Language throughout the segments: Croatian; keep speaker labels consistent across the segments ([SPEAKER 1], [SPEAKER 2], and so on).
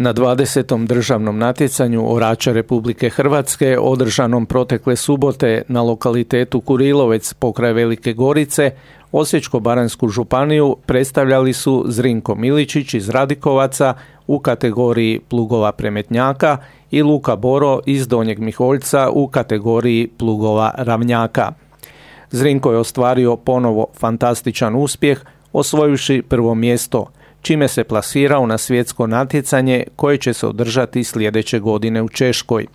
[SPEAKER 1] Na 20. državnom natjecanju orača Republike Hrvatske održanom protekle subote na lokalitetu Kurilovec pokraj Velike Gorice, Osječko-baranjsku županiju predstavljali su Zrinko Miličić iz Radikovaca u kategoriji plugova premetnjaka i Luka Boro iz Donjeg Miholjca u kategoriji plugova ravnjaka. Zrinko je ostvario ponovo fantastičan uspjeh, osvojivši prvo mjesto, čime se plasirao na svjetsko natjecanje koje će se održati sljedeće godine u Češkoj.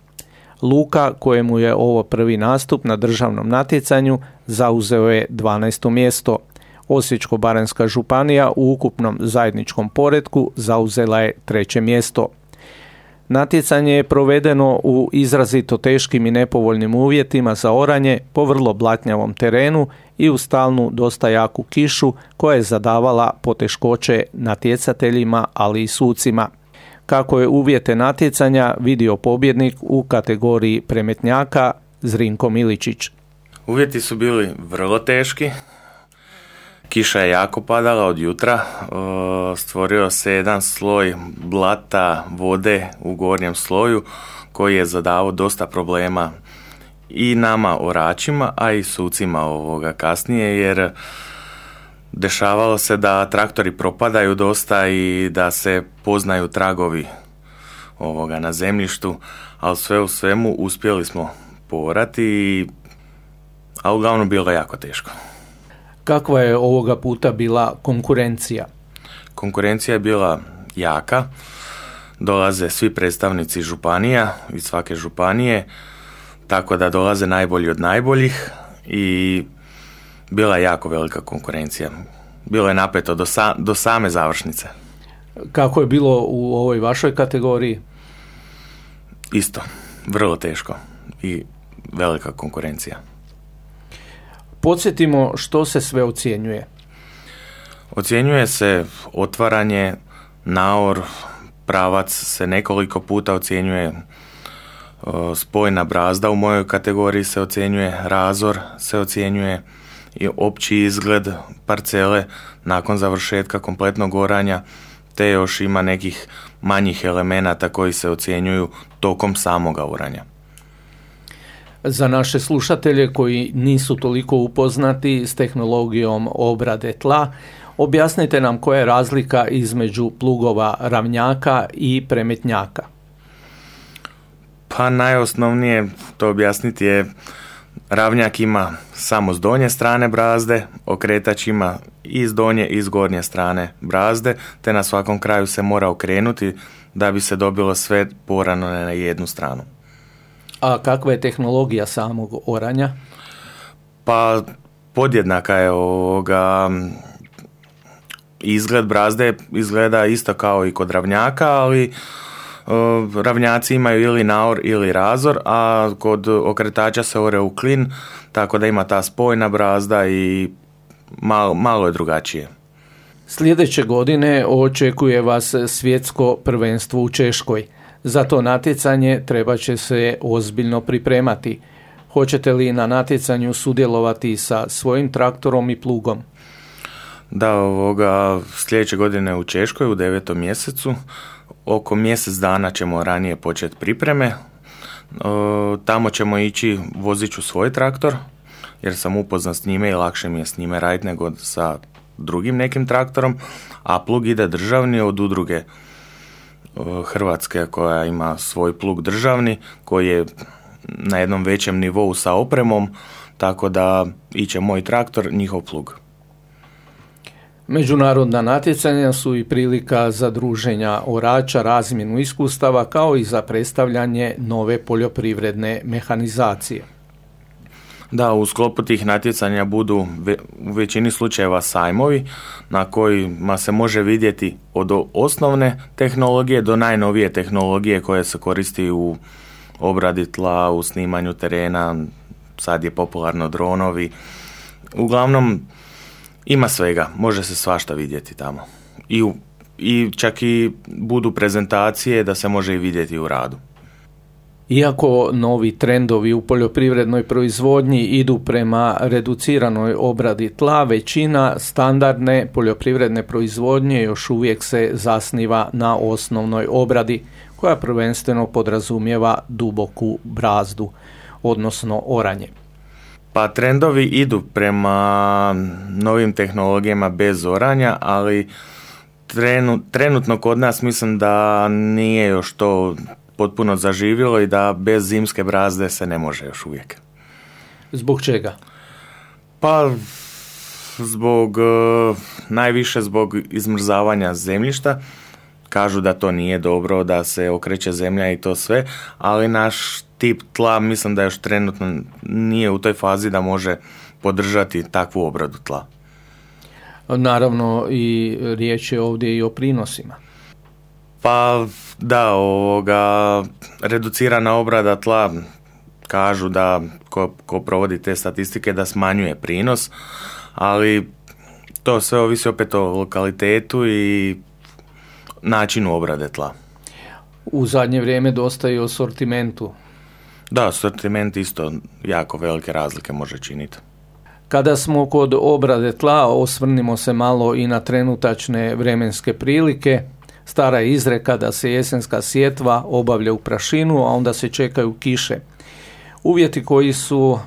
[SPEAKER 1] Luka, kojemu je ovo prvi nastup na državnom natjecanju, zauzeo je 12. mjesto. Osječko-baranjska županija u ukupnom zajedničkom poretku zauzela je 3. mjesto. Natjecanje je provedeno u izrazito teškim i nepovoljnim uvjetima za oranje po vrlo blatnjavom terenu i u stalnu dosta jaku kišu koja je zadavala poteškoće natjecateljima, ali i sucima. Kako je uvjete natjecanja vidio pobjednik u kategoriji premetnjaka Zrinko Miličić.
[SPEAKER 2] Uvjeti su bili vrlo teški. Kiša je jako padala od jutra, stvorio se jedan sloj blata, vode u gornjem sloju koji je zadavao dosta problema i nama oračima, a i sucima kasnije, jer dešavalo se da traktori propadaju dosta i da se poznaju tragovi na zemljištu, ali sve u svemu uspjeli smo poorati, a uglavnom bilo je jako teško.
[SPEAKER 1] Kakva je ovoga puta bila konkurencija?
[SPEAKER 2] Konkurencija je bila jaka. Dolaze svi predstavnici županija iz svake županije, tako da dolaze najbolji od najboljih i bila je jako velika konkurencija. Bilo je napeto do same završnice.
[SPEAKER 1] Kako je bilo u ovoj vašoj kategoriji?
[SPEAKER 2] Isto, vrlo teško i velika konkurencija.
[SPEAKER 1] Podsjetimo što se sve ocjenjuje.
[SPEAKER 2] Ocjenjuje se otvaranje, naor, pravac se nekoliko puta ocjenjuje, spojna brazda u mojoj kategoriji se ocjenjuje, razor se ocjenjuje i opći izgled parcele nakon završetka kompletnog oranja, te još ima nekih manjih elemenata koji se ocjenjuju tokom samoga oranja.
[SPEAKER 1] Za naše slušatelje koji nisu toliko upoznati s tehnologijom obrade tla, objasnite nam koja je razlika između plugova ravnjaka i premetnjaka.
[SPEAKER 2] Pa najosnovnije to objasniti je, ravnjak ima samo s donje strane brazde, okretač ima i s donje i s gornje strane brazde, te na svakom kraju se mora okrenuti da bi se dobilo sve porano na jednu stranu.
[SPEAKER 1] A kakva je tehnologija samog oranja?
[SPEAKER 2] Pa podjednaka je izgled brazde, izgleda isto kao i kod ravnjaka, ali ravnjaci imaju ili naor ili razor, a kod okretača se ore u klin, tako da ima ta spojna brazda i malo je drugačije.
[SPEAKER 1] Sljedeće godine očekuje vas svjetsko prvenstvo u Češkoj. Za to natjecanje treba će se ozbiljno pripremati. Hoćete li na natjecanju sudjelovati sa svojim traktorom i plugom?
[SPEAKER 2] Da, sljedeće godine u Češkoj u 9. mjesecu. Oko mjesec dana ćemo ranije početi pripreme. Tamo ćemo ići, vozit ću svoj traktor, jer sam upoznat s njime i lakše mi je s njime raditi nego sa drugim nekim traktorom, a plug ide državni od udruge Hrvatske koja ima svoj plug državni koji je na jednom većem nivou sa opremom, tako da iće moj traktor, njihov plug.
[SPEAKER 1] Međunarodna natjecanja su i prilika za druženja orača, razmjenu iskustava kao i za predstavljanje nove poljoprivredne mehanizacije.
[SPEAKER 2] Da, u sklopu tih natjecanja budu u većini slučajeva sajmovi na kojima se može vidjeti od osnovne tehnologije do najnovije tehnologije koje se koristi u obradi tla, u snimanju terena, sad je popularno dronovi. Uglavnom ima svega, može se svašta vidjeti tamo. I čak i budu prezentacije da se može i vidjeti u radu.
[SPEAKER 1] Iako novi trendovi u poljoprivrednoj proizvodnji idu prema reduciranoj obradi tla, većina standardne poljoprivredne proizvodnje još uvijek se zasniva na osnovnoj obradi, koja prvenstveno podrazumijeva duboku brazdu, odnosno oranje.
[SPEAKER 2] Pa trendovi idu prema novim tehnologijama bez oranja, ali trenutno kod nas mislim da nije još to potpuno zaživjelo i da bez zimske brazde se ne može još uvijek.
[SPEAKER 1] Zbog čega?
[SPEAKER 2] Pa najviše zbog izmrzavanja zemljišta. Kažu da to nije dobro, da se okreće zemlja i to sve, ali naš tip tla mislim da još trenutno nije u toj fazi da može podržati takvu obradu tla.
[SPEAKER 1] Naravno i riječ je ovdje i o prinosima.
[SPEAKER 2] Pa da, reducirana obrada tla, kažu da ko provodi te statistike da smanjuje prinos, ali to sve ovisi opet o lokalitetu i načinu obrade tla.
[SPEAKER 1] U zadnje vrijeme dosta i o sortimentu.
[SPEAKER 2] Da, sortiment isto jako velike razlike može činiti.
[SPEAKER 1] Kada smo kod obrade tla, osvrnimo se malo i na trenutačne vremenske prilike. Stara je izreka da se jesenska sjetva obavlja u prašinu, a onda se čekaju kiše. Uvjeti koji su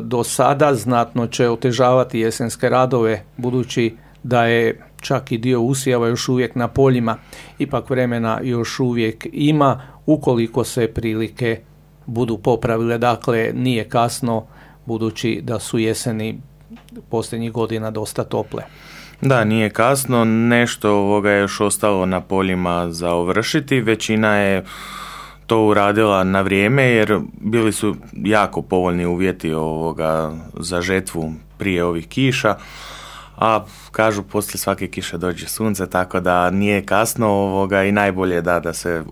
[SPEAKER 1] do sada znatno će otežavati jesenske radove, budući da je čak i dio usjeva još uvijek na poljima. Ipak vremena još uvijek ima, ukoliko se prilike budu popravile. Dakle, nije kasno, budući da su jeseni posljednjih godina dosta tople.
[SPEAKER 2] Da, nije kasno, nešto je još ostalo na poljima za ovršiti, većina je to uradila na vrijeme jer bili su jako povoljni uvjeti za žetvu prije ovih kiša, a kažu poslije svake kiše dođe sunce, tako da nije kasno i najbolje je da se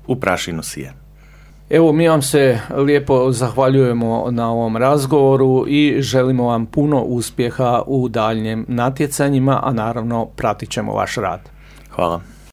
[SPEAKER 2] u prašinu sije.
[SPEAKER 1] Evo, mi vam se lijepo zahvaljujemo na ovom razgovoru i želimo vam puno uspjeha u daljnjim natjecanjima, a naravno pratit ćemo vaš rad.
[SPEAKER 2] Hvala.